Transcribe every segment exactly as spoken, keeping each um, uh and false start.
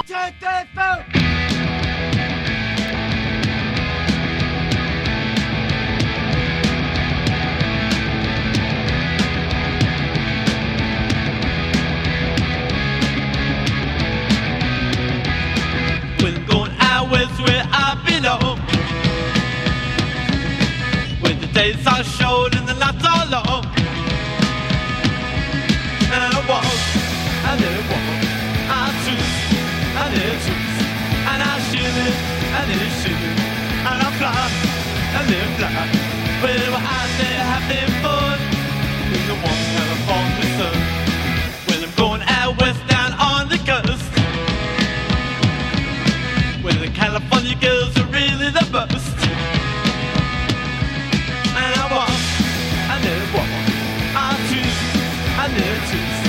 We're going out west where I belong, where the days are short and the nights are long. And I walk, and then I walk, I choose, and then I choose, and I shiver, and then I shiver, and I fly, and then I fly. Well, we're out there having fun in the warm California sun. Well, I'm going out west down on the coast, where the California girls are really the best. And I walk, and then I walk, I choose, and then I choose,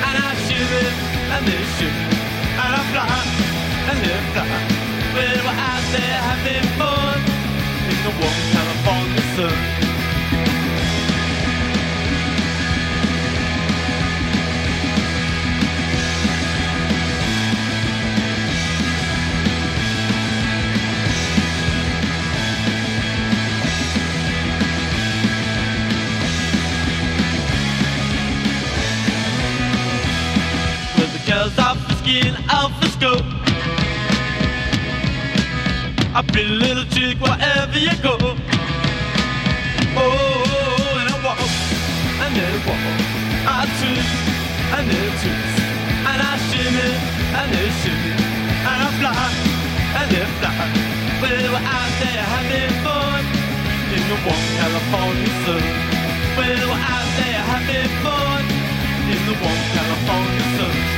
and I shiver, and then I shiver, and I fly, and then I fly. Well, we're out there having fun in the warm California sun. Girls off the skin, off the scope. A pretty little chick wherever you go. Oh, and I walk, and then I walk, I twist, and then I twist, and I shimmy, and then I shimmy, and I fly, and then I fly. Well, we're out there having fun in the warm California sun. Well, we're out there having fun in the warm California sun.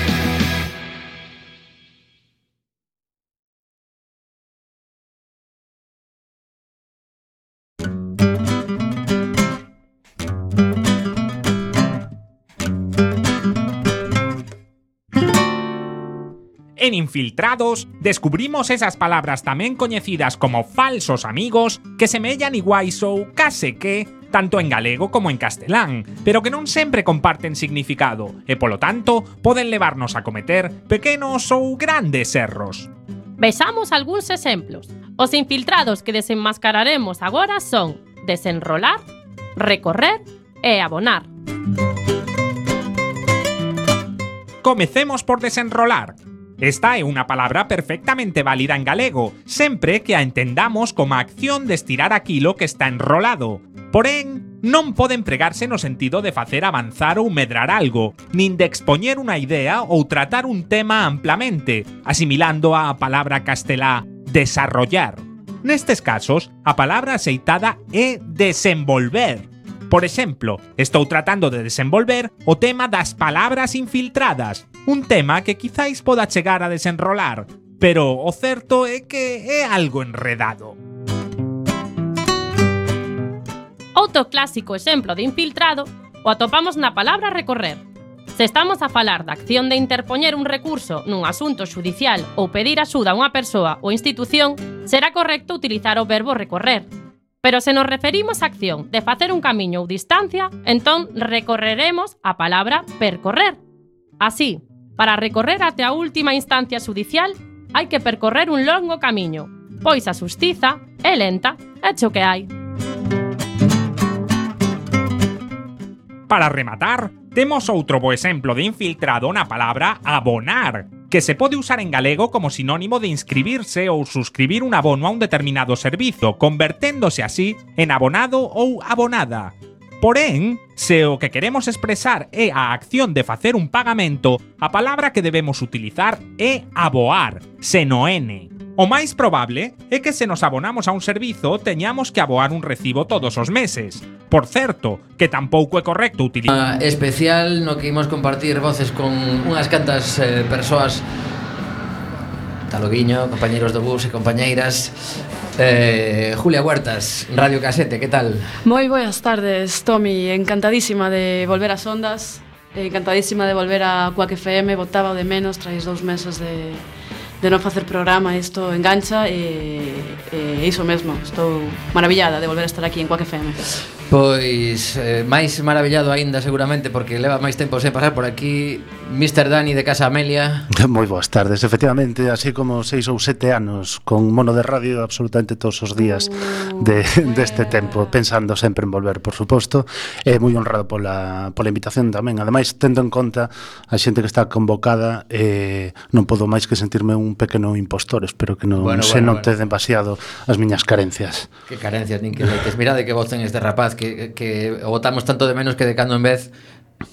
En Infiltrados descubrimos esas palabras tamén coñecidas como falsos amigos que semellan iguais ou case que tanto en galego como en castelán, pero que non sempre comparten significado e, polo tanto, poden levarnos a cometer pequenos ou grandes erros. Vexamos algúns exemplos. Os infiltrados que desenmascararemos agora son desenrolar, recorrer e abonar. Comecemos por desenrolar. Esta é unha palabra perfectamente válida en galego, sempre que a entendamos como a acción de estirar aquilo que está enrolado. Porén, non pode empregarse no sentido de facer avanzar ou medrar algo, nin de expoñer unha idea ou tratar un tema amplamente, asimilando a palabra castelá desarrollar. Nestes casos, a palabra aceitada é desenvolver. Por exemplo, estou tratando de desenvolver o tema das palabras infiltradas, un tema que quizáis poda chegar a desenrolar, pero o certo é que é algo enredado. Outro clásico exemplo de infiltrado o atopamos na palabra recorrer. Se estamos a falar da acción de interpoñer un recurso nun asunto xudicial ou pedir axuda a unha persoa ou institución, será correcto utilizar o verbo recorrer. Pero se nos referimos á acción de facer un camiño ou distancia, entón recorreremos a palabra percorrer. Así, para recorrer até a última instancia xudicial, hai que percorrer un longo camiño, pois a xustiza é lenta, é cho que hai. Para rematar, temos outro bo exemplo de infiltrado na palabra abonar, que se pode usar en galego como sinónimo de inscribirse ou suscribir un abono a un determinado servizo, converténdose así en abonado ou abonada. Porén, se o que queremos expresar é a acción de facer un pagamento, a palabra que debemos utilizar é aboar, sen o N. O máis probable é que se nos abonamos a un servizo teñamos que aboar un recibo todos os meses. Por certo, que tampouco é correcto utilizar... Uh, especial no que imos compartir voces con unhas cantas eh, persoas, Taloguiño, compañeiros do bus e compañeiras. eh, Julia Huertas, Radio Casete, que tal? Moi boas tardes, Tomi, encantadísima de volver ás ondas, encantadísima de volver a Quack F M, botaba o de menos trais dous meses de... de non facer programa, isto engancha e, e iso mesmo, estou maravillada de volver a estar aquí en Quack F M. Pois eh, máis maravillado aínda seguramente porque leva máis tempo sen pasar por aquí mister Dani de Casa Amelia. Moi boas tardes, efectivamente, así como seis ou sete anos con mono de radio absolutamente todos os días de, deste tempo, pensando sempre en volver, por suposto. É moi honrado pola, pola invitación tamén. Ademais, tendo en conta a xente que está convocada, eh, non podo máis que sentirme un pequeno impostor. Espero que non bueno, se bueno, note bueno. demasiado as miñas carencias. Que carencias, nin que leites. Mirade que voz ten este rapaz que, que o botamos tanto de menos que de cando en vez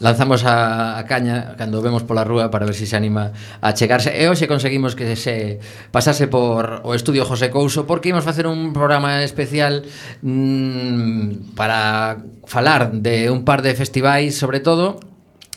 lanzamos a, a caña cando vemos pola rúa para ver se se anima a chegarse. E hoxe conseguimos que se pasase por o estudio José Couso porque imos facer un programa especial mmm, para falar de un par de festivais, sobre todo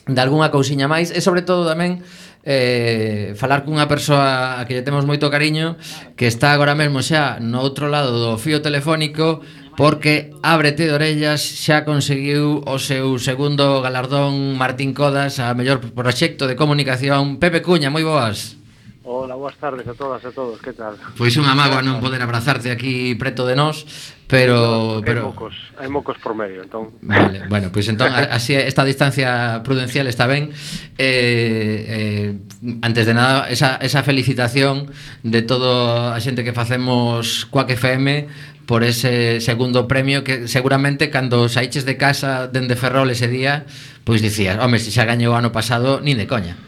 de algunha cousiña máis e sobre todo tamén eh, falar cunha persoa a que lle temos moito cariño que está agora mesmo xa no outro lado do fío telefónico porque Ábrete de orellas xa conseguiu o seu segundo galardón Martín Codas a mellor proxecto de comunicación. Pepe Cuña, moi boas. Hola, boas tardes a todas e a todos, que tal? Pois unha mágoa non poder abrazarte aquí preto de nós, pero... Hai pero... mocos, hai mocos por medio, entón... Vale, bueno, pois entón así esta distancia prudencial está ben. eh, eh, Antes de nada, esa, esa felicitación de toda a xente que facemos Quack F M por ese segundo premio que seguramente cando saíches de casa dende Ferrol ese día, pois dicías, home, se xa gañou o ano pasado, nin de coña.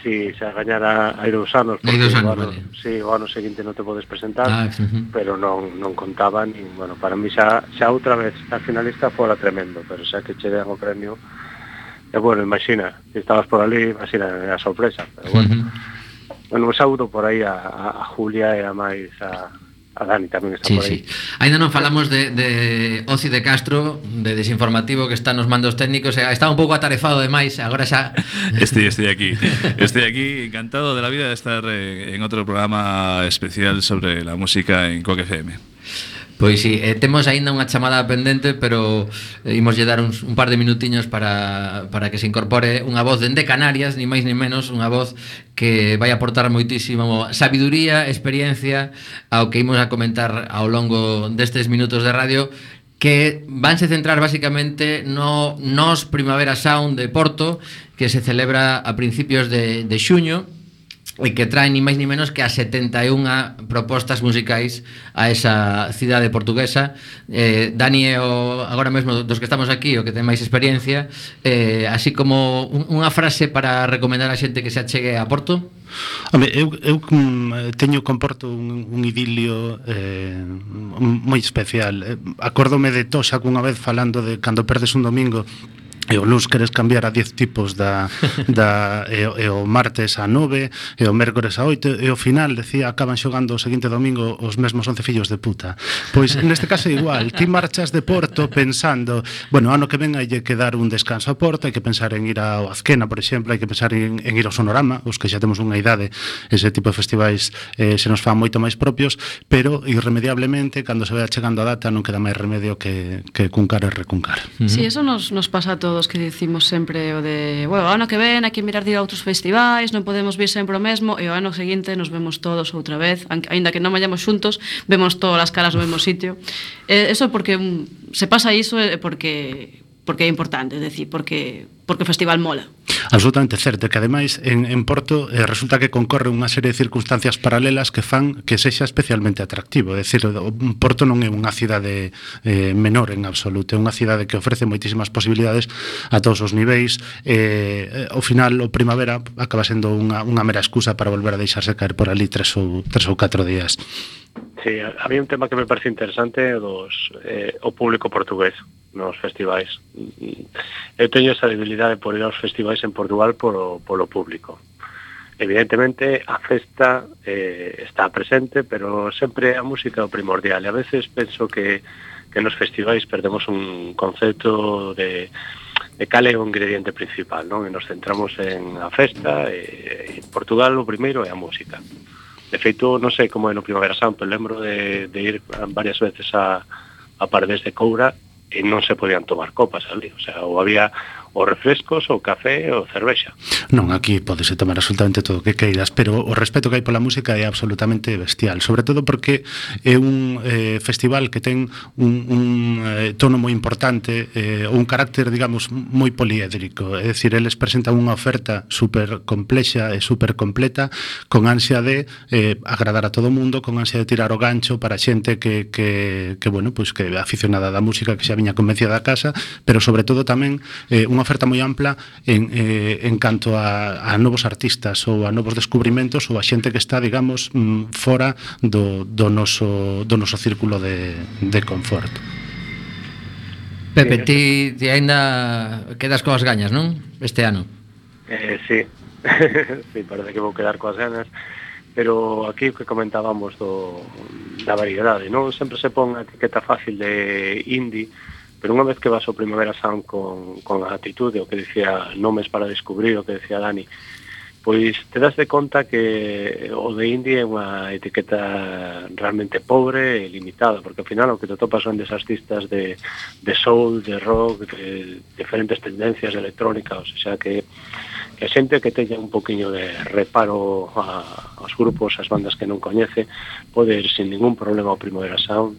Si, xa gañara hai dous anos, Hai porque dous anos, o ano, vale. si, o ano seguinte non te podes presentar, Ah, uh-huh. pero non non contaba, nin, bueno, para mí xa, xa outra vez a finalista fora tremendo, pero xa que che den o premio, e bueno, imagina, se estabas por ali, imagina, era sorpresa, pero bueno, Uh-huh. bueno, un saúdo por aí a, a, a Julia e a máis a a Dani tamén está Sí, por aí. sí. Ainda non falamos de, de Oci de Castro, de Desinformativo, que está nos mandos técnicos, e está un pouco atarefado demais, agora xa... Estoy, estoy aquí, estoy aquí encantado de la vida de estar eh, en otro programa especial sobre la música en Quack F M. Pois si, sí, eh, temos aínda unha chamada pendente, pero eh, imos lle dar uns, un par de minutiños para, para que se incorpore unha voz dende Canarias, ni máis ni menos, unha voz que vai aportar moitísimo sabiduría, experiencia ao que imos a comentar ao longo destes minutos de radio, que vanse centrar basicamente no Nos Primavera Sound de Porto, que se celebra a principios de, de xuño, e que trae ni máis ni menos que a setenta e unha propostas musicais a esa cidade portuguesa. eh, Dani é o, agora mesmo dos que estamos aquí o que ten máis experiencia, eh, así como un, unha frase para recomendar a xente que se achegue a Porto. Home, eu, eu teño con Porto un, un idilio eh, moi especial. eh, Acórdome de Toxa cunha vez falando de cando perdes un domingo e o luns queres cambiar a diez tipos da, da e, e o martes a nove e o mércores a oito e ao final decía acaban xogando o seguinte domingo os mesmos once fillos de puta. Pois neste caso é igual, ti marchas de Porto pensando, bueno, ano que ven hai que dar un descanso a Porto, hai que pensar en ir ao Azquena, por exemplo, hai que pensar en, en ir ao Sonorama, os que xa temos unha idade, ese tipo de festivais eh, se nos fan moito máis propios, pero irremediablemente cando se vai chegando a data non queda máis remedio que, que cuncar e recuncar. Uh-huh. Sí, eso nos, nos pasa a todos, que dicimos sempre o de, bueno, o ano que ven hai que mirar de ir a outros festivais, non podemos vir sempre o mesmo, e o ano seguinte nos vemos todos outra vez, aínda que non vayamos xuntos, vemos todas as caras no mesmo sitio. Eh, eso porque um, se pasa iso é porque porque é importante, é dicir, porque porque o festival mola. Absolutamente certo, que ademais en, en Porto eh, resulta que concorre unha serie de circunstancias paralelas que fan que sexa especialmente atractivo. É dicir, o Porto non é unha cidade eh, menor en absoluto, é unha cidade que ofrece moitísimas posibilidades a todos os niveis. Eh, ao final, o primavera acaba sendo unha, unha mera excusa para volver a deixarse caer por ali tres ou, tres ou catro días. Sí, había un tema que me parece interesante dos, eh, o público portugués nos festivais. Eu teño esa debilidade por ir aos festivais en Portugal polo, polo público. Evidentemente, a festa eh, está presente, pero sempre a música é o primordial. E a veces penso que, que nos festivais perdemos un concepto de, de cal é o ingrediente principal, non? E nos centramos en a festa, e en Portugal o primeiro é a música. De feito, non sei como é no Primavera Sound, pero lembro de, de ir varias veces a, a Paredes de Coura e non se podían tomar copas ali, o sea, ou había o refrescos, o café, o cervexa. Non, aquí podese tomar absolutamente todo o que queiras, pero o respeto que hai pola música é absolutamente bestial, sobre todo porque é un eh, festival que ten un, un eh, tono moi importante, eh, un carácter, digamos, moi poliédrico, é dicir, eles presentan unha oferta super complexa e super completa, con ansia de eh, agradar a todo o mundo, con ansia de tirar o gancho para xente que, que, que bueno, pues que é aficionada da música, que xa viña convencida da casa, pero sobre todo tamén eh, unha oferta moi ampla en, eh, en canto a, a novos artistas ou a novos descubrimentos ou a xente que está, digamos, mm, fora do, do, noso, do noso círculo de, de confort. Pepe, ti, ti ainda quedas coas gañas, non? Este ano. Eh, sí, sí, parece que vou quedar coas ganas, pero aquí que comentábamos do, da variedade, non? Sempre se pon a etiqueta fácil de indie, pero unha vez que vas ao Primavera Sound con, con a atitude, o que decía Nomes para descubrir, o que decía Dani, pois te das de conta que o de indie é unha etiqueta realmente pobre e limitada, porque ao final o que te topas son des artistas de, de soul, de rock, de diferentes tendencias de electrónica, o sea que que a xente que teña un poquinho de reparo a, aos grupos, as bandas que non coñece, pode ir sin ningún problema ao Primavera Sound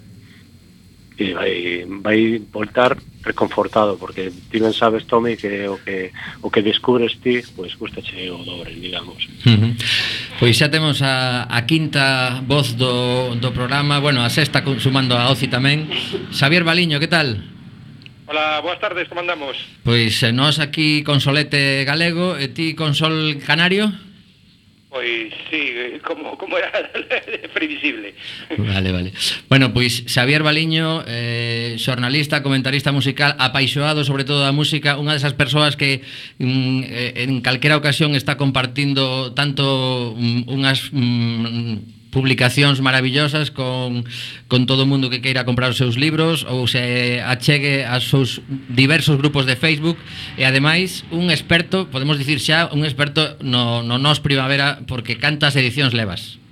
e vai, vai voltar reconfortado, porque ti ben sabes, Tommy, que o que o que descubres ti, pois gustache o dobre, digamos. Uh-huh. Pois xa temos a, a quinta voz do, do programa, bueno, a sexta sumando a Oci tamén. Xavier Baliño, que tal? Hola, boas tardes, como andamos? Pois eh, nós aquí con solete galego e ti con sol canario? Pois sí, como, como era previsible. Vale, vale. Bueno, pois Xavier Baliño, eh, xornalista, comentarista musical, apaixoado sobre todo da música, unha desas persoas que mm, en calquera ocasión está compartindo tanto mm, unhas mm, publicacións maravillosas con, con todo o mundo que queira comprar os seus libros ou se achegue aos seus diversos grupos de Facebook e ademais un experto, podemos dicir xa, un experto no, no Nos Primavera, porque cantas edicións levas?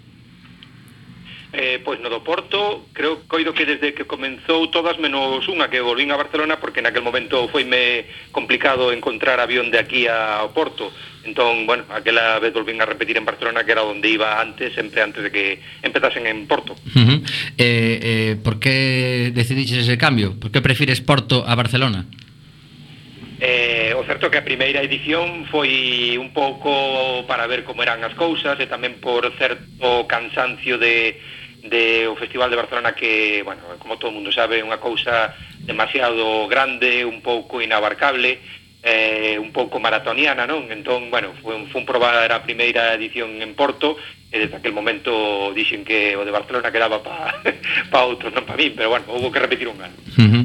Eh, pois no do Porto, creo coido que desde que comenzou todas menos unha que volvín a Barcelona, porque naquel momento foime complicado encontrar avión de aquí ao Porto. Entón, bueno, aquela vez volvín a repetir en Barcelona, que era onde iba antes, sempre antes de que empezasen en Porto. Uh-huh. eh, eh, Por que decidiches ese cambio? Por que prefires Porto a Barcelona? Eh, o certo que a primeira edición foi un pouco para ver como eran as cousas e tamén por certo cansancio de, de o Festival de Barcelona, que, bueno, como todo o mundo sabe, é unha cousa demasiado grande, un pouco inabarcable, eh, un pouco maratoniana, non? Entón, bueno, foi, foi un probar a primeira edición en Porto, e desde aquel momento dixen que o de Barcelona quedaba para pa outros, non para min, pero bueno, houve que repetir un ano. Uh-huh.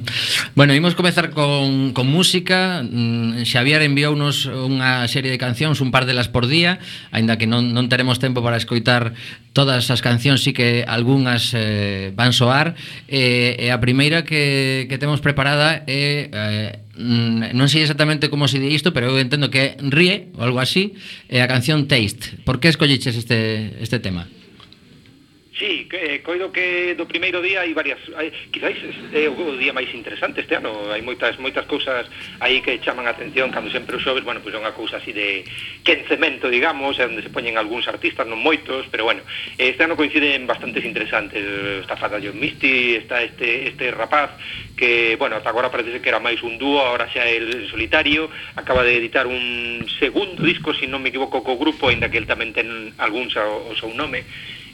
Bueno, imos comezar con, con música. mm, Xavier enviounos unha serie de cancións, un par delas por día, aínda que non, non teremos tempo para escoitar todas as cancións, sí que algunhas eh, van soar, e, e a primeira que, que temos preparada é eh, non sei exactamente como se di isto, pero eu entendo que é Rie, ou algo así, é a canción Taste. Por que escolliches este, este tema? Sí, que, coido que do primeiro día hai varias, hai, quizáis é o día máis interesante este ano, hai moitas moitas cousas aí que chaman a atención, cando sempre os xoves, bueno, pois é unha cousa así de quencemento, digamos, onde se poñen algúns artistas, non moitos, pero bueno, este ano coinciden bastantes interesantes. Está Fata John Misty, está este este rapaz que, bueno, ata agora parece que era máis un dúo, agora xa é el solitario, acaba de editar un segundo disco, se non me equivoco, co grupo, aínda que el tamén ten algúns ao, ao seu nome.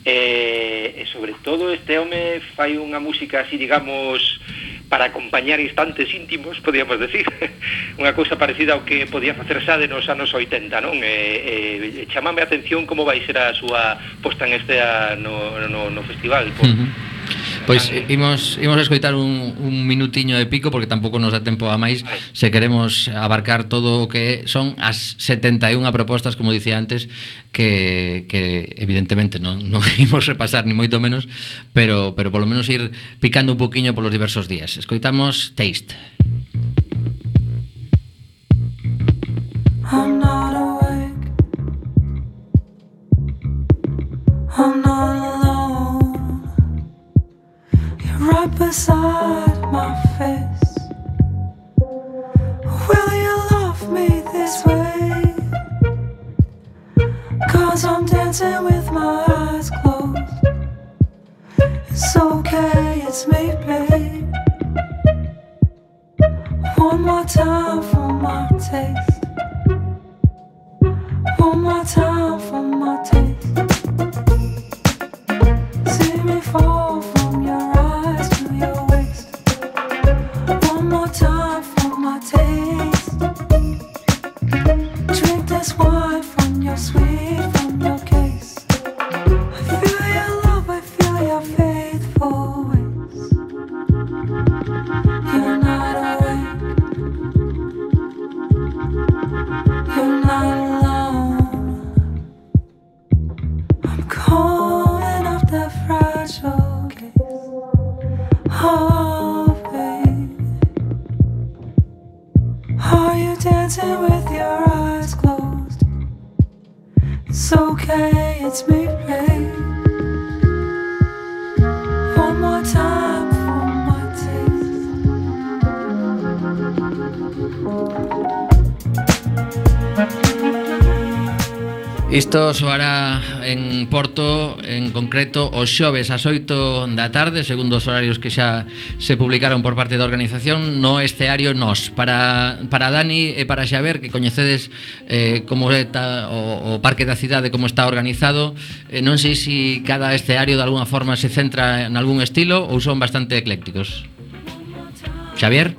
E, e sobre todo este home fai unha música así, digamos, para acompañar instantes íntimos, podíamos decir, unha cousa parecida ao que podía facer Sade nos anos oitenta, non? E, e chamame a atención como vai ser a súa posta en este no, no, no festival. Por, uh-huh. Pois imos, imos a escoitar un, un minutiño de pico, porque tampouco nos dá tempo a máis se queremos abarcar todo o que son as setenta e unha propostas, como dicía antes, que, que evidentemente non, non imos repasar ni moito menos, pero, pero polo menos ir picando un poquinho polos diversos días. Escoitamos Taste. I'm not awake, I'm not alone, you're right beside my face. Will you love it's me, babe. One more time for my taste. One more time for my taste. See me fall from your eyes to your waist. One more time for my taste. Drink this wine from your sweet, from your case. I feel your love, I feel your faithful ways. You're not awake. You're not alone. I'm calling up the fragile case. Oh, baby. Are you dancing with your eyes closed? It's okay, it's me, babe. One more time for my Isto soará en Porto, en concreto, os xoves ás oito da tarde, segundo os horarios que xa se publicaron por parte da organización, no escenario Nos. Para, para Dani e para Xaber, que coñecedes eh, como está o, o Parque da Cidade, como está organizado, eh, non sei se cada escenario de alguna forma se centra en algún estilo ou son bastante eclécticos. Xavier?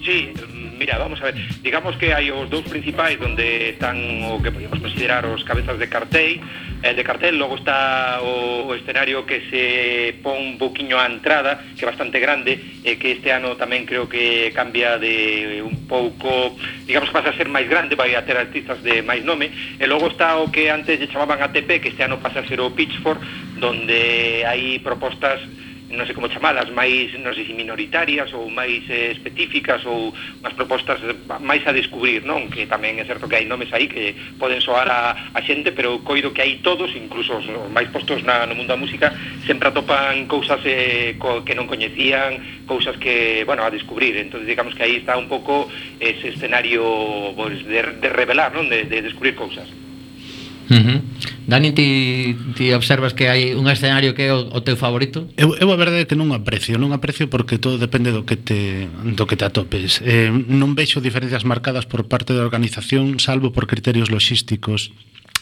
Sí, mira, vamos a ver, digamos que hai os dous principais onde están o que podíamos considerar os cabezas de cartel, el de cartel, logo está o, o escenario que se pon un poquinho á entrada, que é bastante grande, e que este ano tamén creo que cambia de un pouco, digamos que pasa a ser máis grande, vai a ter artistas de máis nome, e logo está o que antes lle chamaban A T P, que este ano pasa a ser o Pitchfork, donde hai propostas, non sei como chamalas, máis, non sei se minoritarias ou máis eh, específicas ou unhas propostas máis a descubrir, non? Que tamén é certo que hai nomes aí que poden soar a, a xente, pero coido que hai todos, incluso os máis postos na, no mundo da música, sempre atopan cousas eh, co, que non coñecían, cousas que, bueno, a descubrir. Entonces, digamos que aí está un pouco ese escenario pues, de, de revelar, non? De, de descubrir cousas. Uh-huh. Dani, ti, ti observas que hai un escenario que é o, o teu favorito? Eu, eu a verdade é que non aprecio, non aprecio porque todo depende do que te do que te atopes. Eh, non vexo diferencias marcadas por parte da organización, salvo por criterios logísticos.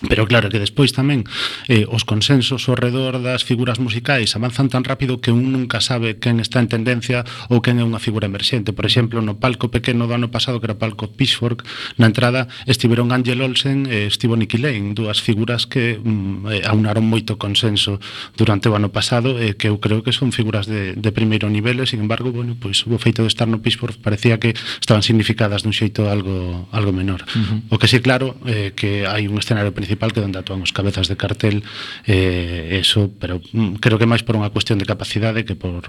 Pero claro que despois tamén eh, os consensos ao redor das figuras musicais avanzan tan rápido que un nunca sabe quen está en tendencia ou quen é unha figura emerxente. Por exemplo, no palco pequeno do ano pasado, que era o palco Pitchfork, na entrada estiveron Angel Olsen e estivo Nicky Lane, dúas figuras que mm, aunaron moito consenso durante o ano pasado e eh, que eu creo que son figuras de, de primeiro nivel e, sin embargo, bueno, pois, o feito de estar no Pitchfork parecía que estaban significadas dun xeito algo, algo menor. Uh-huh. O que sí, claro, eh, que hai un escenario principal que é onde actúan os cabezas de cartel, eh, eso, pero mm, creo que máis por unha cuestión de capacidade que por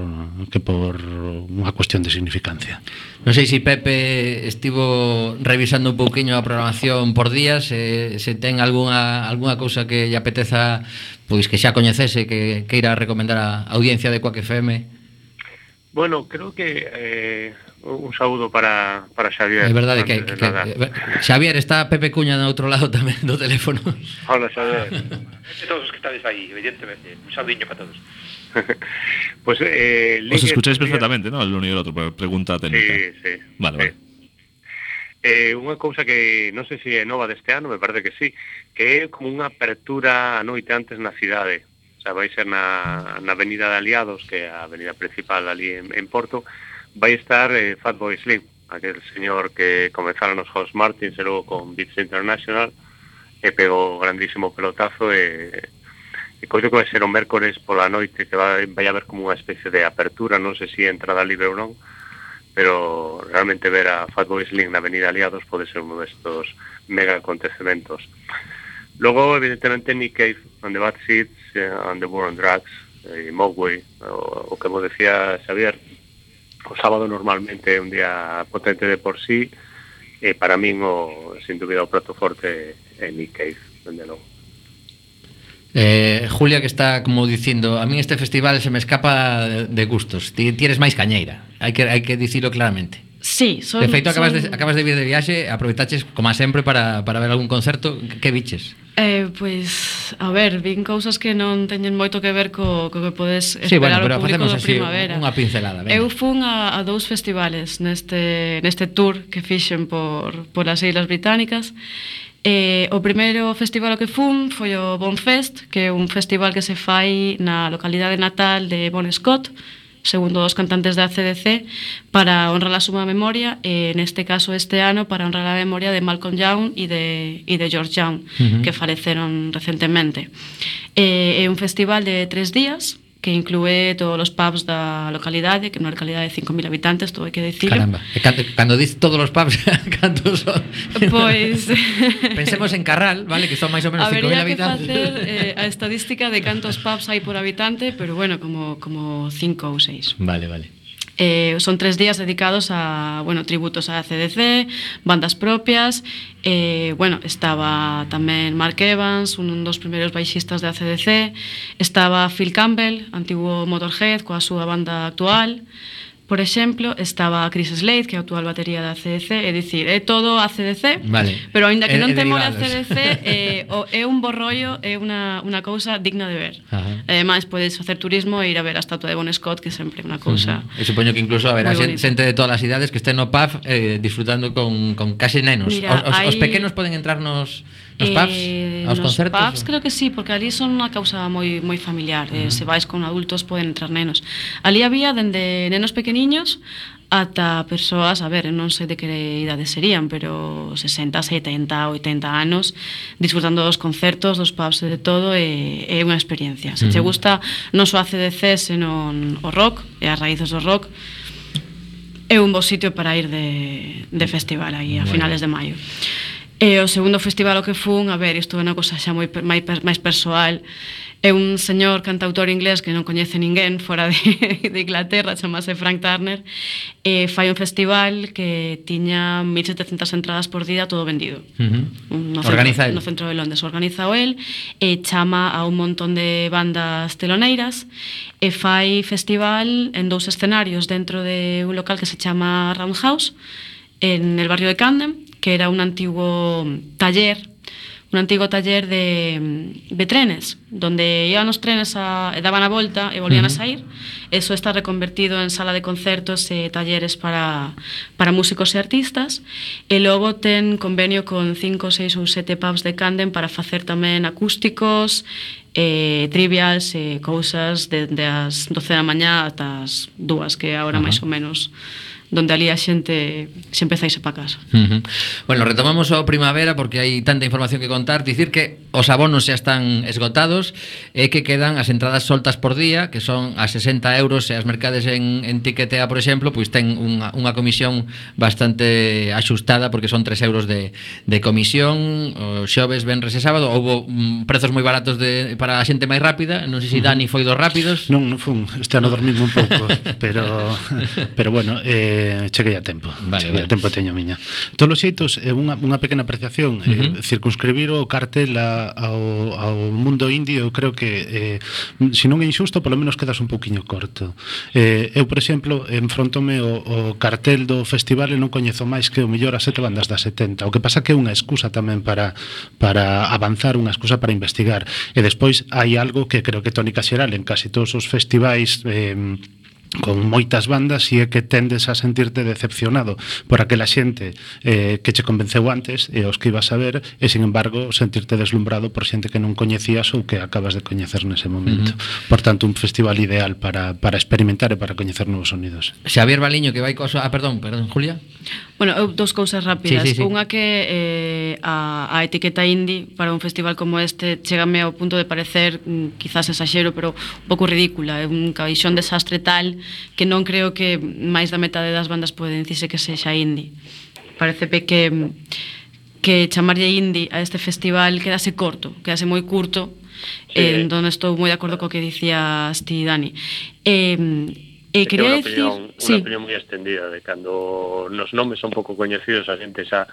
que por unha cuestión de significancia. Non sei se Pepe estivo revisando un pouquiño a programación por días, se, se ten algunha algunha cousa que lle apeteza, pois que xa coñecese, que queira recomendar a audiencia de Quack F M. Bueno, creo que eh, un saúdo para, para Xavier. É verdade que, que, que Xavier, está Pepe Cuña no outro lado tamén do teléfono. Hola, Xavier. De todos os que estades aí, evidentemente, un saudiño para todos. Pues eh, os escucháis perfectamente, ¿no? El uno y el otro, pregunta técnica. Sí, sí. Vale, sí. vale. Eh, unha cousa que non sei se é nova deste ano, me parece que sí, que é como unha apertura a noite antes na cidade. O sea, vai ser na, na Avenida de Aliados, que é a avenida principal ali en, en Porto, vai estar eh, Fatboy Slim, aquel señor que comenzaron os House Martins e logo con Beats International, e pegou grandísimo pelotazo e, e coido que vai ser o mércores pola noite, que vai, vai haber como unha especie de apertura, non sei se entrada libre ou non, pero realmente ver a Fatboy Slim na Avenida Aliados pode ser un destos mega acontecementos. Logo, evidentemente, Nick Cave, and the Bad Seeds, uh, and the War on Drugs, e Mogwai, o, o que mo decía Xavier, o sábado normalmente é un día potente de por sí, e para min, o, sin dúbida, o prato forte é Nick Cave, dende logo. Eh, Julia, que está como dicindo, a mí este festival se me escapa de, de gustos. Ti, ti eres máis cañeira, hai que, hai que dicilo claramente. Sí, son, De feito, acabas son... de, acabas de vir de viaxe, aproveitaches, como sempre, para, para ver algún concerto. Que viches? Eh, pois, a ver, vin cousas que non teñen moito que ver co, co que podes Sí, bueno, esperar pero o público facemos da así primavera. unha pincelada. Venga. Eu fun a, a dous festivales neste, neste tour que fixen por, por as Islas Británicas. Eh, o primeiro festival ao que fun foi o Bonfest, que é un festival que se fai na localidade natal de Bon Scott, segundo os cantantes da A C D C, para honrar a súa memoria, e neste caso este ano para honrar a memoria de Malcolm Young e de, e de George Young, Uh-huh. que faleceron recentemente. Eh, é un festival de tres días que inclúe todos os pubs da localidade, que é unha localidade de cinco mil habitantes, todo hai que dicir. Caramba, e cando, cando dices todos os pubs, cantos son? Pois Pensemos en Carral, vale, que son máis ou menos cinco mil habería que habitantes. facer eh, a estadística de cantos pubs hai por habitante, pero bueno, como como cinco ou seis. Vale, vale. Eh, son tres días dedicados a, bueno, tributos a C D C, bandas propias. Eh, bueno, estaba tamén Mark Evans, un dos primeiros baixistas de A C D C. Estaba Phil Campbell, antigo Motorhead, coa súa banda actual. Por exemplo, estaba Chris Slade, que é a actual batería da A C D C, é dicir, é todo A C D C, Vale. pero aínda E- que e non te mole A derivados. C D C, eh, o, é un bo rollo, é unha, unha cousa digna de ver. Ajá. Ademais, podes facer turismo e ir a ver a estatua de Bon Scott, que sempre é unha cousa... Uh-huh. E supoño que incluso haberá Moi xente, bonito. xente de todas as idades que estén no pub eh, disfrutando con, con case nenos. Mira, os, os, os hai- pequenos poden entrar nos, nos pubs, Eh, aos nos concertos? pubs creo que sí, porque ali son unha causa moi moi familiar. Uh -huh. eh, se vais con adultos poden entrar nenos. Ali había dende nenos pequeniños ata persoas, a ver, non sei de que idade serían, pero sesenta, setenta, oitenta anos disfrutando dos concertos, dos pubs e de todo, e é unha experiencia. Se che Uh-huh. gusta non só a C D C, senón o rock e as raíces do rock, é un bo sitio para ir de, de festival aí a Bueno. finales de maio. E o segundo festival ao que fun, a ver, isto é unha cosa xa moi per- máis, per- máis persoal. É un señor cantautor inglés que non coñece ninguén fora de, de Inglaterra, chamase Frank Turner, e fai un festival que tiña mil setecentas entradas por día, todo vendido. Uh-huh. No Organiza centro, el. no centro de Londres, organiza o el, e chama a un montón de bandas teloneiras, e fai festival en dous escenarios dentro de un local que se chama Roundhouse, en el barrio de Camden, que era un antigo taller, un antigo taller de, de trenes, donde iban os trenes a, e daban a volta e volvían Uh-huh. a sair. Eso está reconvertido en sala de concertos e talleres para, para músicos e artistas, e logo ten convenio con cinco, seis ou sete pubs de Camden para facer tamén acústicos, eh, trivials e cousas desde as doce da mañá ata as dúas, que é a hora Ajá. máis ou menos donde ali a xente se empeza a irse para casa. Uh-huh. Bueno, retomamos o primavera porque hai tanta información que contar. Dicir que os abonos xa están esgotados e que quedan as entradas soltas por día, que son a sesenta euros, e as mercades en, en Tiquetea, por exemplo, pois ten unha, unha comisión bastante axustada, porque son tres euros de, de comisión. O xoves, venres e sábado houbo mm, prezos moi baratos de, para a xente máis rápida. Non sei se Dani foi dos rápidos. Non, non fun, este ano dormindo un pouco, pero pero bueno, eh cheguei a tempo. Vale, cheguei vale. a tempo teño a miña. Todos os xeitos, é unha, unha pequena apreciación, Uh-huh. eh, circunscribir o cartel a, ao, ao mundo indio, eu creo que eh, se non é injusto, polo menos quedas un pouquiño corto. Eh, eu, por exemplo, enfrontome o, o cartel do festival e non coñezo máis que o mellor as sete bandas das setenta. O que pasa que é unha excusa tamén para, para avanzar, unha excusa para investigar. E despois hai algo que creo que é tónica xeral en casi todos os festivais eh, con moitas bandas, e é que tendes a sentirte decepcionado por aquela xente eh, que che convenceu antes e os que ibas a ver, e sin embargo sentirte deslumbrado por xente que non coñecías ou que acabas de coñecer nese momento. Uh-huh. Por tanto, un festival ideal para, para experimentar e para coñecer novos sonidos. Xavier Baliño, que vai coa súa... Ah, perdón, perdón, Julia. Bueno, eu dous cousas rápidas. Sí, sí, sí. Unha que eh, a, a etiqueta indie para un festival como este chégame ao punto de parecer, mm, quizás exaxero, pero un pouco ridícula. É un caixón desastre tal que non creo que máis da metade das bandas poden dicirse que sexa indie. Parece que que chamarlle indie a este festival quedase corto, quedase moi curto. Sí. Eh, entón estou moi de acordo co que dicías ti, Dani. Eh, E É quería unha decir, opinión, sí. unha opinión moi extendida de cando nos nomes son pouco coñecidos, a xente xa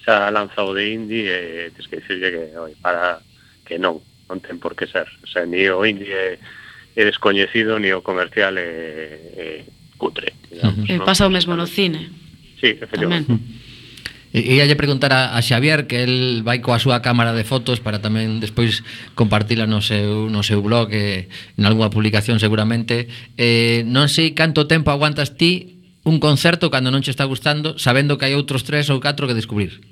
xa lanza o de indie e tens que dicirlle que oi, para que non, non ten por que ser. O sea, ni o indie é, é descoñecido, ni o comercial é, é cutre, digamos, Eh, non? pasa o mesmo no cine. Sí, efectivamente. E ia lle preguntar a, a Xavier, que el vai coa súa cámara de fotos para tamén despois compartila no seu, no seu blog e en algunha publicación seguramente. Eh, non sei canto tempo aguantas ti un concerto cando non che está gustando, sabendo que hai outros tres ou catro que descubrir.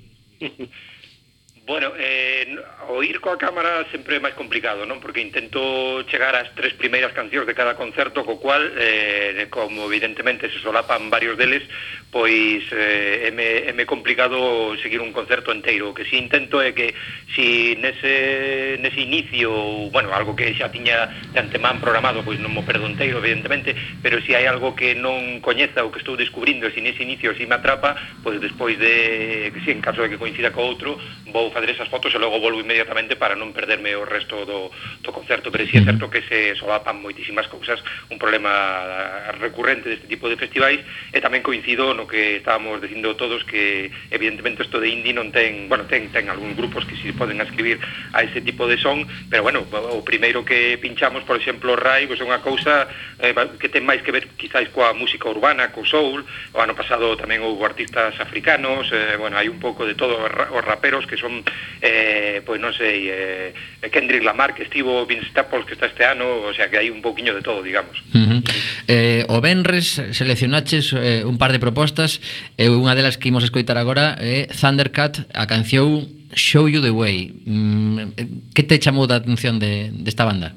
Bueno, eh, o ir coa cámara sempre é máis complicado, non? Porque intento chegar ás tres primeiras cancións de cada concerto, co cual, eh, como evidentemente se solapan varios deles, pois eh, é, me, é me complicado seguir un concerto enteiro. O que si intento é que si nese, nese inicio, bueno, algo que xa tiña de antemán programado, pois non mo perdo enteiro, evidentemente, pero si hai algo que non coñeza ou que estou descubrindo, si nese inicio si me atrapa, pois despois de, si en caso de que coincida co outro, vou facer esas fotos e logo volvo inmediatamente para non perderme o resto do, do concerto. Pero si é certo que se solapan moitísimas cousas, un problema recurrente deste tipo de festivais, e tamén coincido no que estábamos dicindo todos, que evidentemente isto de indie non ten, bueno, ten, ten algúns grupos que si poden escribir a ese tipo de son, pero bueno, o primeiro que pinchamos, por exemplo, Rai, pois é unha cousa eh, que ten máis que ver quizás coa música urbana, co soul. O ano pasado tamén houve artistas africanos, eh, bueno, hai un pouco de todo, os raperos que son eh, pois non sei, eh, Kendrick Lamar que estivo, Vince Staples que está este ano, o sea que hai un pouquiño de todo, digamos. Uh-huh. eh, o Benres seleccionaches eh, un par de propostas, e eh, unha delas que imos escoitar agora é eh, Thundercat, a canción Show You The Way. Mm, que te chamou da atención de, desta banda?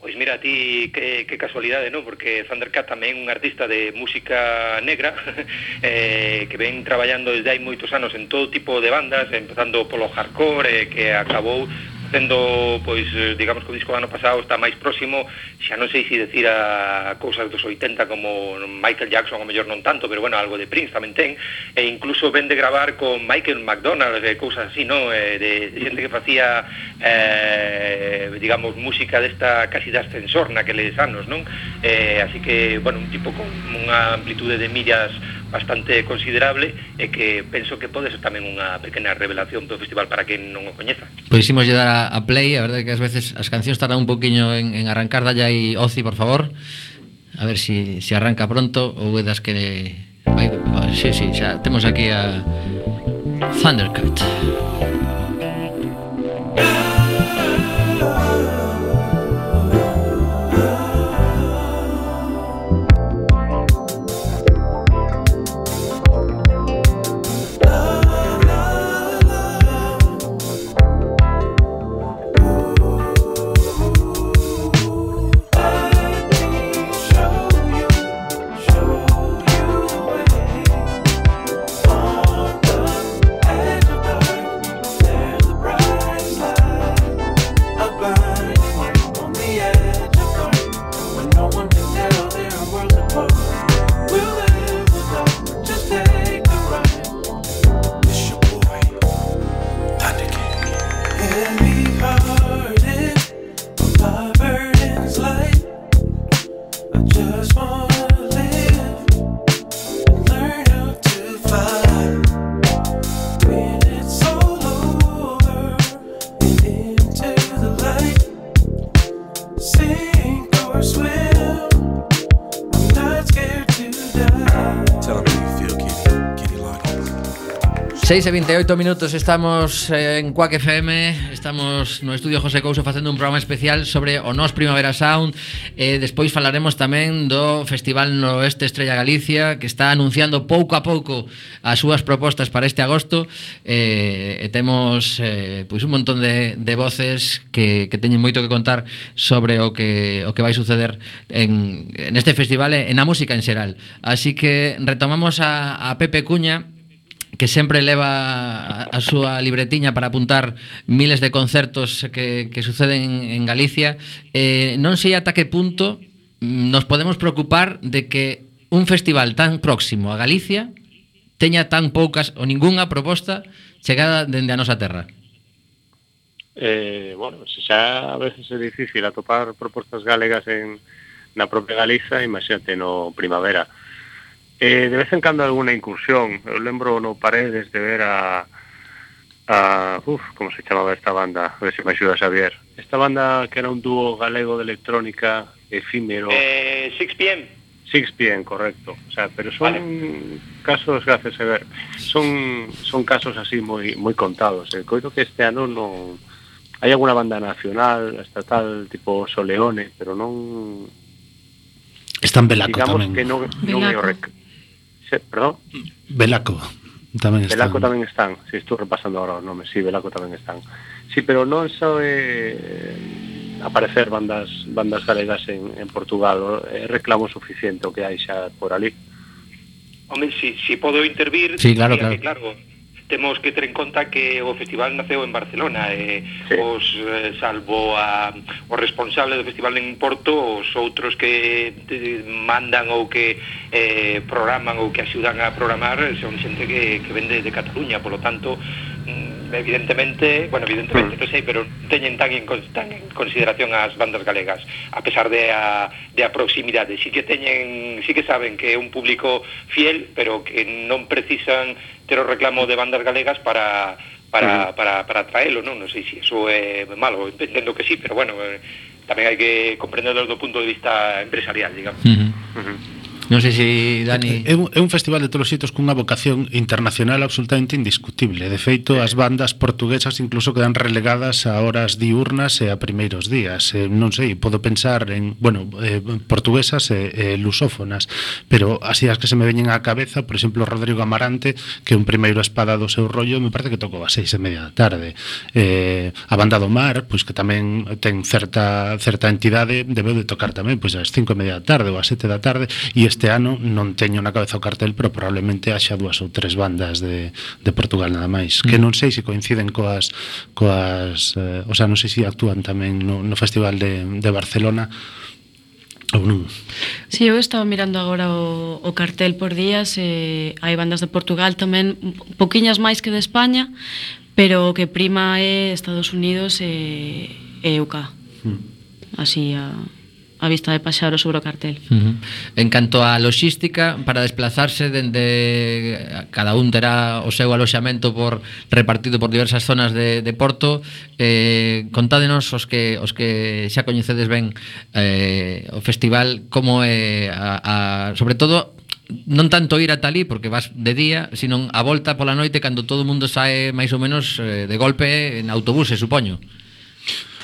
Pois mira, ti, que, que casualidade, non? Porque Thundercat tamén é un artista de música negra eh, que ven traballando desde hai moitos anos en todo tipo de bandas, empezando polo hardcore, eh, que acabou sendo, pois, digamos que o disco do ano pasado está máis próximo, xa non sei se decir a cousas dos oitenta como Michael Jackson, ou mellor non tanto, pero bueno, algo de Prince tamén ten, e incluso ven de gravar con Michael McDonald, e cousas así, non? Eh, de, de xente que facía, eh, digamos, música desta casi de ascensor naqueles anos, non? Eh, así que, bueno, un tipo con unha amplitude de millas bastante considerable, e que penso que pode ser tamén unha pequena revelación do festival para quen non o coñeza. Pois imos lle dar a, a play, a verdade é que ás veces as cancións tardan un poquinho en, en arrancar. Dalle aí, Ozi, por favor, a ver si, si arranca pronto, ou é das que vai, sí, sí, xa temos aquí a Thundercat. seis e vinte e oito minutos, estamos en Quack F M, estamos no estudio José Couso facendo un programa especial sobre o Nos Primavera Sound, e despois falaremos tamén do Festival Noroeste Estrella Galicia, que está anunciando pouco a pouco as súas propostas para este agosto, e, e temos eh, pois un montón de, de voces que, que teñen moito que contar sobre o que, o que vai suceder en, en este festival e na música en xeral. Así que retomamos a, a Pepe Cuña, que sempre leva a, a súa libretiña para apuntar miles de concertos que, que suceden en Galicia. Eh, non sei ata que punto nos podemos preocupar de que un festival tan próximo a Galicia teña tan poucas ou ningunha proposta chegada dende a nosa terra. Eh, bueno, se xa a veces é difícil atopar propostas galegas en, na propia Galiza, imagínate no Primavera. Eh, de vez en cando alguna incursión. Eu lembro no Paredes de ver a, a uf, como se chamaba esta banda, a ver se me axuda Xavier, esta banda que era un dúo galego de electrónica efímero, eh, six p m Sixpien, correcto. O sea, pero son vale. casos, gracias a ver, son son casos así moi moi contados. Eh. Coido que este ano non hai alguna banda nacional, estatal, tipo Soleone, pero non... Están Belaco digamos tamén. Que non, non é o rec... Se, perdón? Belaco tamén están. Belaco tamén están, si sí, estou repasando ahora os nomes, si, sí, Belaco tamén están. Sí, pero non só é aparecer bandas bandas galegas en, en Portugal, é reclamo suficiente o que hai xa por ali. Home, si, si podo intervir, sí, claro, claro. Que, claro, temos que ter en conta que o festival naceu en Barcelona e sí. os eh, salvo a, o responsable do festival en Porto, os outros que te, mandan ou que eh, programan ou que axudan a programar son xente que, que vende de Cataluña, polo tanto evidentemente, bueno, evidentemente, non sei, pero teñen tan en, tan en consideración as bandas galegas, a pesar de a, de a proximidade. Sí que teñen, sí que saben que é un público fiel, pero que non precisan ter o reclamo de bandas galegas para para, para, para traelo, non? Non sei se iso é malo, entendo que sí, pero bueno, eh, tamén hai que comprenderlo do punto de vista empresarial, digamos. Uh-huh. Uh-huh. Non sei se Dani... É un, é un festival de todos os xeitos cunha vocación internacional absolutamente indiscutible. De feito, as bandas portuguesas incluso quedan relegadas a horas diurnas e a primeiros días. Eh, non sei, podo pensar en, bueno, eh, portuguesas e eh, lusófonas, pero así as que se me veñen á cabeza, por exemplo, Rodrigo Amarante, que é un primeiro espada do seu rollo, me parece que tocou a seis e media da tarde. Eh, a banda do Mar, pois que tamén ten certa certa entidade, debeu de tocar tamén pois ás cinco e media da tarde ou ás sete da tarde, e este ano non teño na cabeza o cartel, pero probablemente haxa dúas ou tres bandas de, de Portugal nada máis, mm. que non sei se coinciden coas, coas eh, o sea, non sei se actúan tamén no, no Festival de, de Barcelona ou non. Si, sí, eu estaba mirando agora o, o cartel por días, e hai bandas de Portugal tamén, poquiñas máis que de España, pero o que prima é Estados Unidos e, e U K. Mm. Así a... a vista de paxaro sobre o cartel. Uh-huh. En canto á logística, para desplazarse dende cada un terá o seu aloxamento por repartido por diversas zonas de, de Porto, eh, contádenos os que os que xa coñecedes ben eh, o festival, como é a, a, sobre todo non tanto ir ata ali porque vas de día, sino a volta pola noite cando todo o mundo sae máis ou menos eh, de golpe en autobús, supoño.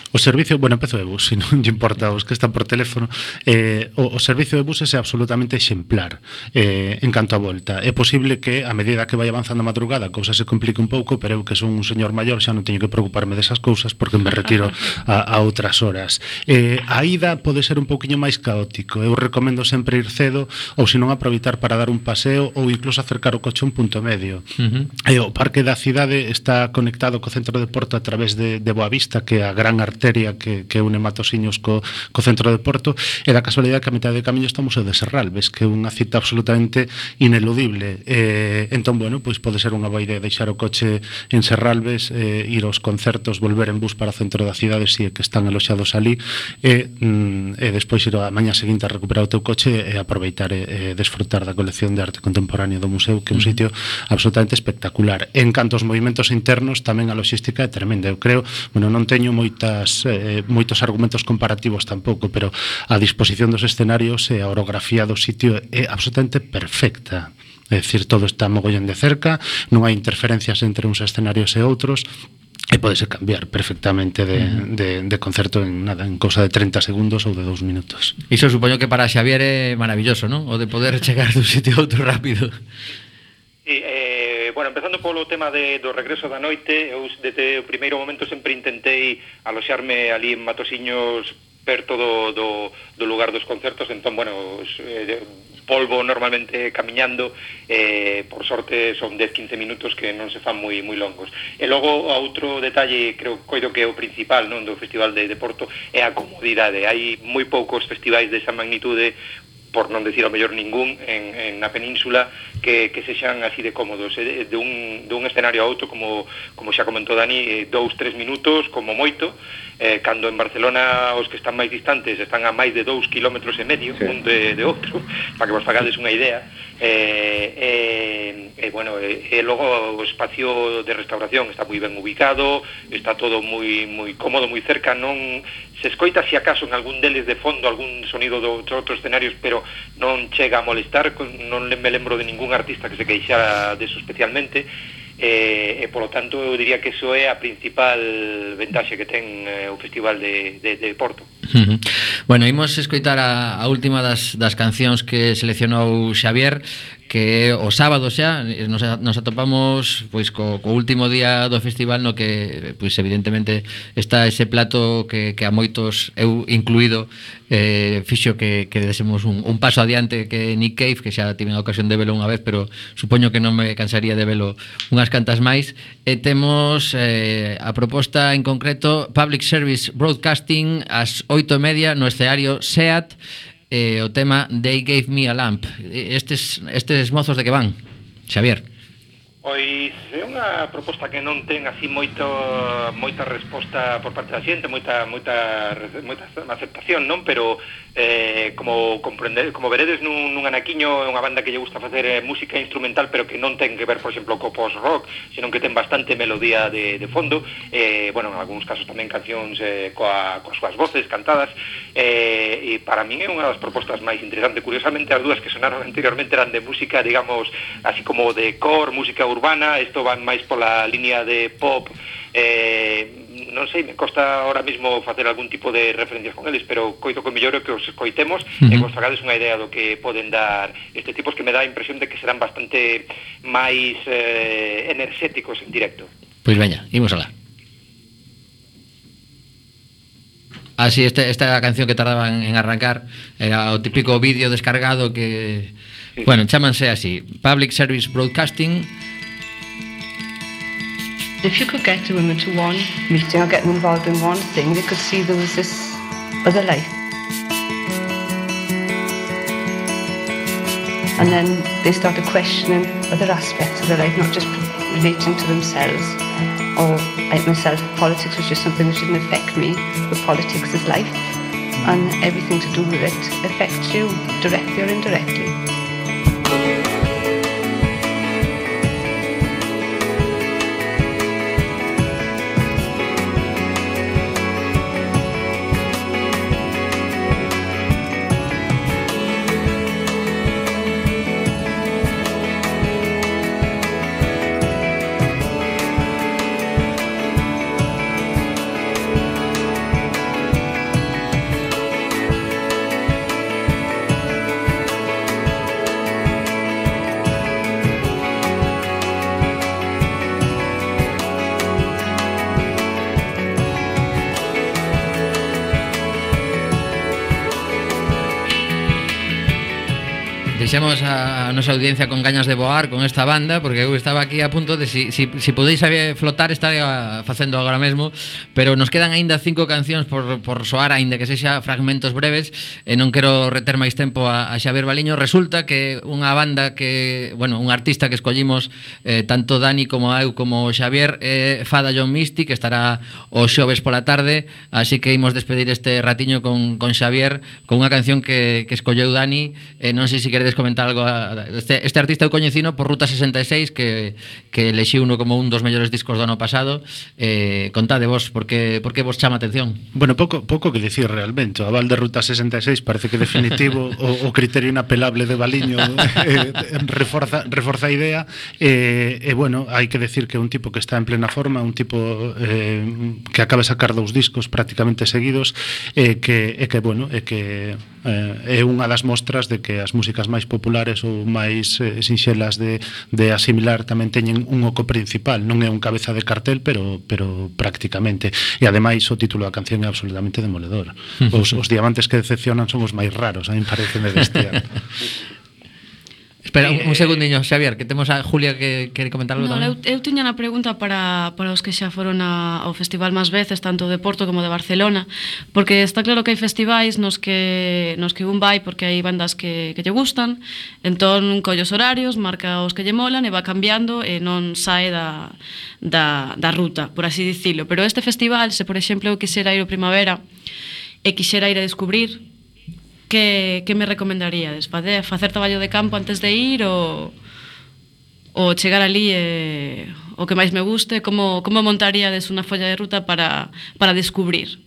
O servicio, bueno, empezo de bus, se non lle importa os que están por teléfono, eh, o, o servicio de buses é absolutamente exemplar eh, en canto a volta. É posible que a medida que vai avanzando a madrugada a cousa se complique un pouco, pero eu que son un señor maior xa non teño que preocuparme desas cousas porque me retiro a, a outras horas. Eh, a ida pode ser un pouquiño máis caótico. Eu recomendo sempre ir cedo ou senón aproveitar para dar un paseo ou incluso acercar o coche a un punto medio. Uh-huh. Eh, o parque da cidade está conectado co centro de Porto a través de, de Boavista, que é a gran arteria que, que une Matosiños co, co centro de Porto, e da casualidade que a mitad de camiño está o Museo de Serralves, que é unha cita absolutamente ineludible. Eh, entón, bueno, pois pode ser unha boa idea deixar o coche en Serralves, eh, ir aos concertos, volver en bus para o centro da cidade, si é que están aloxados ali, e, mm, e despois ir a mañá seguinte a recuperar o teu coche e aproveitar e, e desfrutar da colección de arte contemporánea do museo, que é un sitio absolutamente espectacular. En canto aos movimentos internos, tamén a logística é tremenda. Eu creo, bueno, non teño moitas Eh, moitos argumentos comparativos tampouco, pero a disposición dos escenarios e a orografía do sitio é absolutamente perfecta. É dicir, todo está mogollón de cerca, non hai interferencias entre uns escenarios e outros, e podese cambiar perfectamente de, de, de concerto en nada, en cousa de treinta segundos ou de dous minutos. Iso supoño que para Xavier é maravilloso, non? O de poder chegar dun sitio a outro rápido. Sí, eh, bueno, empezando polo tema de, do regreso da noite, eu desde o primeiro momento sempre intentei aloxarme ali en Matosiños perto do, do, do lugar dos concertos, entón, bueno, eh, polvo normalmente camiñando, eh, por sorte son dez a quince minutos que non se fan moi moi longos. E logo, outro detalle, creo coido que é o principal, non, do Festival de, de Porto, é a comodidade. Hai moi poucos festivais desa magnitude, por non decir ao mellor ningún, en, en na península, que, que sexan así de cómodos, eh, de, un, de un escenario a outro, como, como xa comentou Dani, eh, dous, tres minutos, como moito, eh, cando en Barcelona os que están máis distantes están a máis de dous kilómetros e medio, sí, un de, de outro, para que vos fagades unha idea, eh, eh, eh, bueno, e eh, eh, logo o espacio de restauración está moi ben ubicado, está todo moi, moi cómodo, moi cerca, non se escoita si acaso en algún deles de fondo algún sonido de outros escenarios, pero non chega a molestar, non me lembro de ningún artista que se queixara deso especialmente, e, e polo tanto eu diría que iso é a principal ventaxe que ten eh, o Festival de, de, de Porto. Uh-huh. Bueno, imos escoitar a, a última das, das cancións que seleccionou Xavier, que o sábado xa nos, nos atopamos pois co, co último día do festival, no que pois evidentemente está ese plato que, que a moitos, eu incluído, eh, fixo que, que desemos un, un paso adiante, que Nick Cave, que xa tive a ocasión de velo unha vez, pero supoño que non me cansaría de velo unhas cantas máis. E temos eh, a proposta en concreto Public Service Broadcasting ás oito e media no escenario SEAT, eh, o tema They Gave Me a Lamp. Estes, estes mozos de que van, Xavier? Pois é unha proposta que non ten así moito moita resposta por parte da xente, moita moita moita aceptación, non, pero eh, como comprender, como veredes nun, nun anaquiño, é unha banda que lle gusta facer eh, música instrumental, pero que non ten que ver, por exemplo, co post-rock, senón que ten bastante melodía de, de fondo, eh, bueno, en algúns casos tamén cancións eh, coa, coas súas voces cantadas, eh, e para min é unha das propostas máis interesantes. Curiosamente, as dúas que sonaron anteriormente eran de música, digamos, así como de core, música urbana, isto van máis pola línea de pop, eh, non sei, me costa ahora mismo facer algún tipo de referencias con eles, pero coito que mellor é que os coitemos, uh-huh, e que os fagades unha idea do que poden dar este tipos, que me dá a impresión de que serán bastante máis eh, enerxéticos en directo. Pois veña, imos alá. Así, ah, este, esta canción que tardaban en arrancar era o típico vídeo descargado que, sí, bueno, chámanse así, Public Service Broadcasting. If you could get the women to one meeting or get them involved in one thing, they could see there was this other life. And then they started questioning other aspects of their life, not just relating to themselves. Or like myself, politics was just something that didn't affect me, but politics is life, and everything to do with it affects you, directly or indirectly. Deixamos a nosa audiencia con gañas de voar con esta banda, porque eu estaba aquí a punto de si, si, si podéis flotar estaría facendo agora mesmo, pero nos quedan aínda cinco cancións por, por soar, aínda que sexa fragmentos breves, e non quero reter máis tempo a, a Xavier Baliño. Resulta que unha banda que, bueno, un artista que escollimos eh, tanto Dani como eu como Xavier é eh, Fada John Misty, que estará o xoves pola tarde, así que imos despedir este ratiño con, con Xavier con unha canción que, que escolleu Dani. Eh, non sei se queredes comentar algo. Este, este artista eu coñecino por Ruta sesenta e seis, que, que elexí uno como un dos mellores discos do ano pasado. Eh, contade vos, por que, por que vos chama atención? Bueno, pouco, pouco que dicir realmente. O aval de Ruta sesenta e seis parece que definitivo o, o criterio inapelable de Baliño eh, reforza, reforza a idea. E eh, eh, bueno, hai que decir que é un tipo que está en plena forma, un tipo eh, que acaba de sacar dous discos prácticamente seguidos, e eh, que, eh, que bueno, é eh, que eh, é unha das mostras de que as músicas máis populares ou máis eh, sinxelas de, de asimilar tamén teñen un oco principal. Non é un cabeza de cartel, pero, pero prácticamente. E ademais o título da canción é absolutamente demoledor. Os, os diamantes que decepcionan son os máis raros, a mí parece de bestia. Espera, un, un segundiño, Xavier, que temos a Julia que quere comentar algo No, eu, tamén. eu tiña na pregunta para, para os que xa foron a, ao festival máis veces, tanto de Porto como de Barcelona, porque está claro que hai festivais nos que nos que un vai porque hai bandas que, que lle gustan, entón colle os horarios, marca os que lle molan e va cambiando e non sae da, da, da ruta, por así dicilo. Pero este festival, se por exemplo eu quixera ir ao primavera e quixera ir a descubrir, que, que me recomendaríades? Facer, facer traballo de campo antes de ir ou, ou chegar ali e o que máis me guste? Como, como montaríades unha folla de ruta para, para descubrir?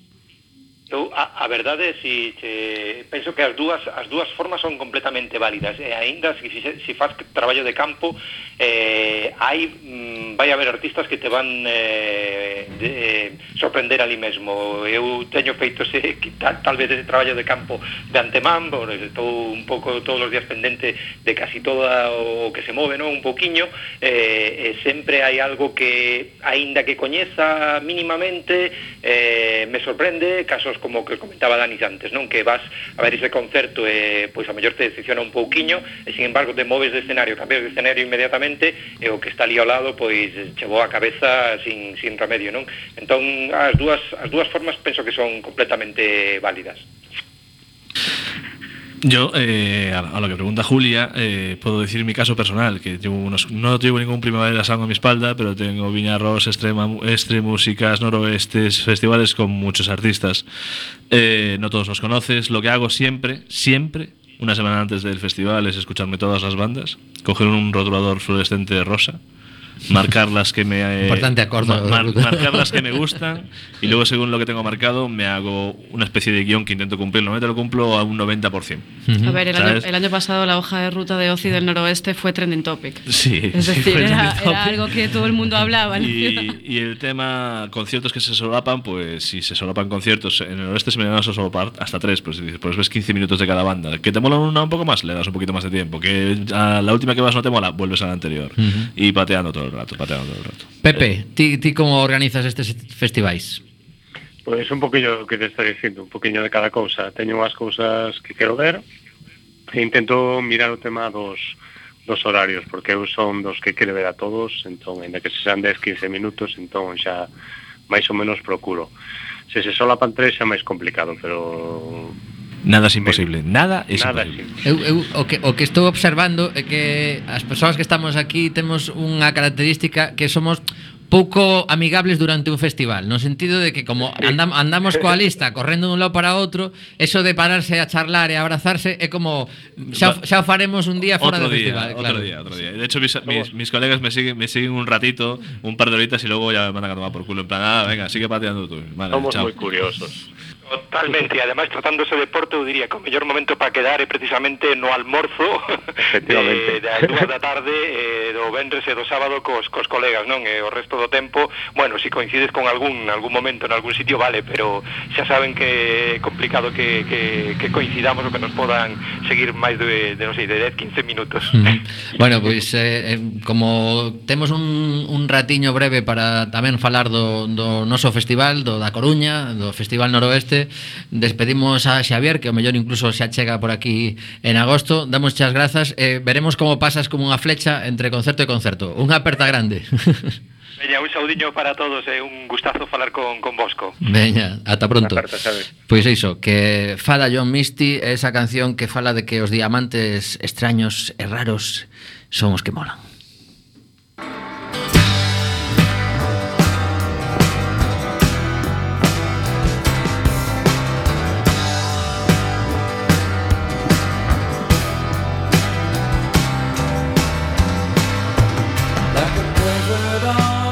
Eu, a, a verdade, si, che, penso que as dúas as dúas formas son completamente válidas e aínda se si, si faz traballo de campo eh, hai mm, vai haber artistas que te van eh, de, eh, sorprender ali mesmo. Eu teño feito ese, tal, tal vez ese traballo de campo de antemán, porque estou un pouco todos os días pendente de casi todo o que se move, non? Un pouquiño eh, e sempre hai algo que aínda que coñeza mínimamente eh, me sorprende, casos como que comentaba Dani antes, non? Que vas a ver ese concerto e pois a mellor te decepciona un pouquiño e sin embargo te moves de escenario, cambias de escenario inmediatamente e o que está ali ao lado pois chegou a cabeza sin, sin remedio, non? Entón as dúas, as dúas formas penso que son completamente válidas. Yo, eh, a lo que pregunta Julia, eh, puedo decir mi caso personal, que llevo unos, no llevo ningún Primavera Sound a mi espalda, pero tengo Viña Ross, Extrema, Extre Músicas, Noroestes, festivales con muchos artistas. Eh, no todos los conoces. Lo que hago siempre, siempre, una semana antes del festival, es escucharme todas las bandas, coger un rotulador fluorescente rosa, marcar las que me eh, importante acordo, mar, marcar las que me gustan y luego según lo que tengo marcado me hago una especie de guión que intento cumplir. Normalmente lo cumplo a un noventa por ciento. Uh-huh. A ver, el año, el año pasado la hoja de ruta de Oci del Noroeste fue trending topic. Sí, es decir, sí, era, era algo que todo el mundo hablaba, ¿no? y, y el tema conciertos que se solapan, pues si se solapan conciertos en el Noroeste se me van a solapar hasta tres, pues, pues ves quince minutos de cada banda. Que te mola una un poco más, le das un poquito más de tiempo. Que a la última que vas no te mola, vuelves a la anterior. Uh-huh. Y pateando todo el rato, pateando todo el rato. Pepe, ti, ti como organizas estes festivais? Pois un poquillo que te está dicindo, un poquinho de cada cousa. Teño unhas cousas que quero ver e intento mirar o tema dos, dos horarios, porque eu son dos que quero ver a todos, entón, ainda que se sean dez, quince minutos, entón xa máis ou menos procuro. Se se solapan tres xa máis complicado, pero... Nada es imposible, nada es nada imposible. Es imposible. Eu, eu, o, que, o que estou observando é que as persoas que estamos aquí temos unha característica que somos pouco amigables durante un festival, no sentido de que como andam, andamos coa lista correndo dun lado para outro, eso de pararse a charlar e abrazarse é como xa, xa o faremos un día fora otro do día, festival. Otro claro. día, otro día. De hecho, mis, mis, mis colegas me siguen, me siguen un ratito, un par de horitas y luego ya me mandan a tomar por culo. En plan, ah, venga, sigue pateando tú. Vale, somos chao. moi curiosos. Totalmente, e ademais tratándose de Porto eu diría que o mellor momento para quedar é precisamente no almorzo Efectivamente. de, das dúas da tarde eh, do venres e do sábado cos, cos colegas, non? E o resto do tempo, bueno, si coincides con algún algún momento en algún sitio, vale, pero xa saben que é complicado que, que, que coincidamos o que nos podan seguir máis de, de non sei, de dez, quince minutos. Mm. Bueno, pois eh, como temos un, un ratiño breve para tamén falar do, do noso festival, do da Coruña, do Festival Noroeste, despedimos a Xavier, que o mellor incluso xa chega por aquí en agosto. Damos as grazas e eh, veremos como pasas como unha flecha entre concerto e concerto. Unha aperta grande. Veña, un saudiño para todos e eh, un gustazo falar con, con Bosco. Veña, ata pronto. Carta, Pois é iso, que fala John Misty, esa canción que fala de que os diamantes extraños e raros son os que molan. Story ever told.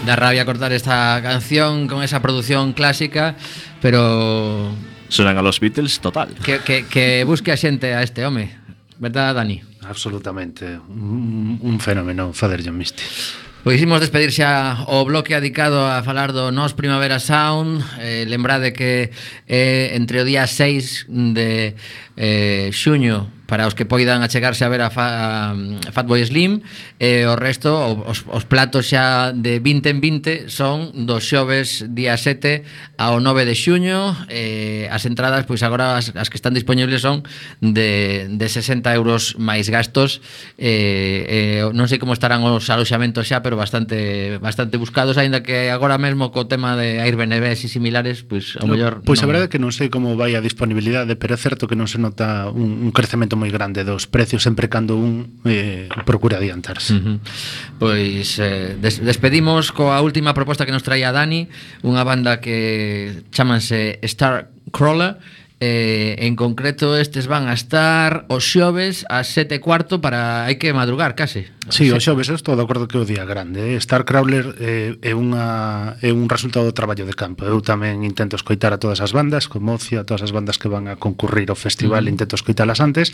da rabia cortar esta canción con esa producción clásica, pero sonan a los Beatles total. Que, que, que busque a xente a este home, verdad, Dani? Absolutamente, un, un fenómeno Father John Misty. Pois imos despedir xa o bloque dedicado a falar do Nos Primavera Sound. eh, Lembrade que é eh, entre o día seis de eh, xuño para os que poidan achegarse a ver a, fa, a Fatboy Slim, e o resto, os, os platos xa de vinte en vinte son dos xoves día sete ao nove de xuño. eh, As entradas, pois agora as, as que están disponibles son de, de sesenta euros máis gastos. eh, eh, Non sei como estarán os aloxamentos xa, pero bastante bastante buscados, aínda que agora mesmo co tema de Airbnb e similares, pois ao mellor Pois a non... verdade é que non sei como vai a disponibilidade, pero é certo que non se nota un, un crecemento moi grande dos precios sempre cando un eh, procura adiantarse. Uh-huh. Pois eh, des despedimos coa última proposta que nos traía Dani, unha banda que chamanse Starcrawler. Eh, en concreto estes van a estar os xoves ás sete e cuarto, para hai que madrugar case. Sí, os xoves estou de acordo que é o día grande. eh? Starcrawler eh, é, unha, é un resultado do traballo de campo. Eu tamén intento escoitar a todas as bandas, como Ocia, a todas as bandas que van a concurrir ao festival, mm. intento escoitalas antes,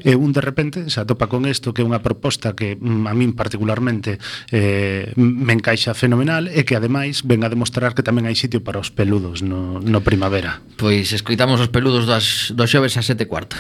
e un de repente se atopa con isto, que é unha proposta que mm, a min particularmente eh, me encaixa fenomenal, e que ademais ven a demostrar que tamén hai sitio para os peludos no, no primavera. Pois escoitamos os peludos Das, dos xoves a sete e cuarto.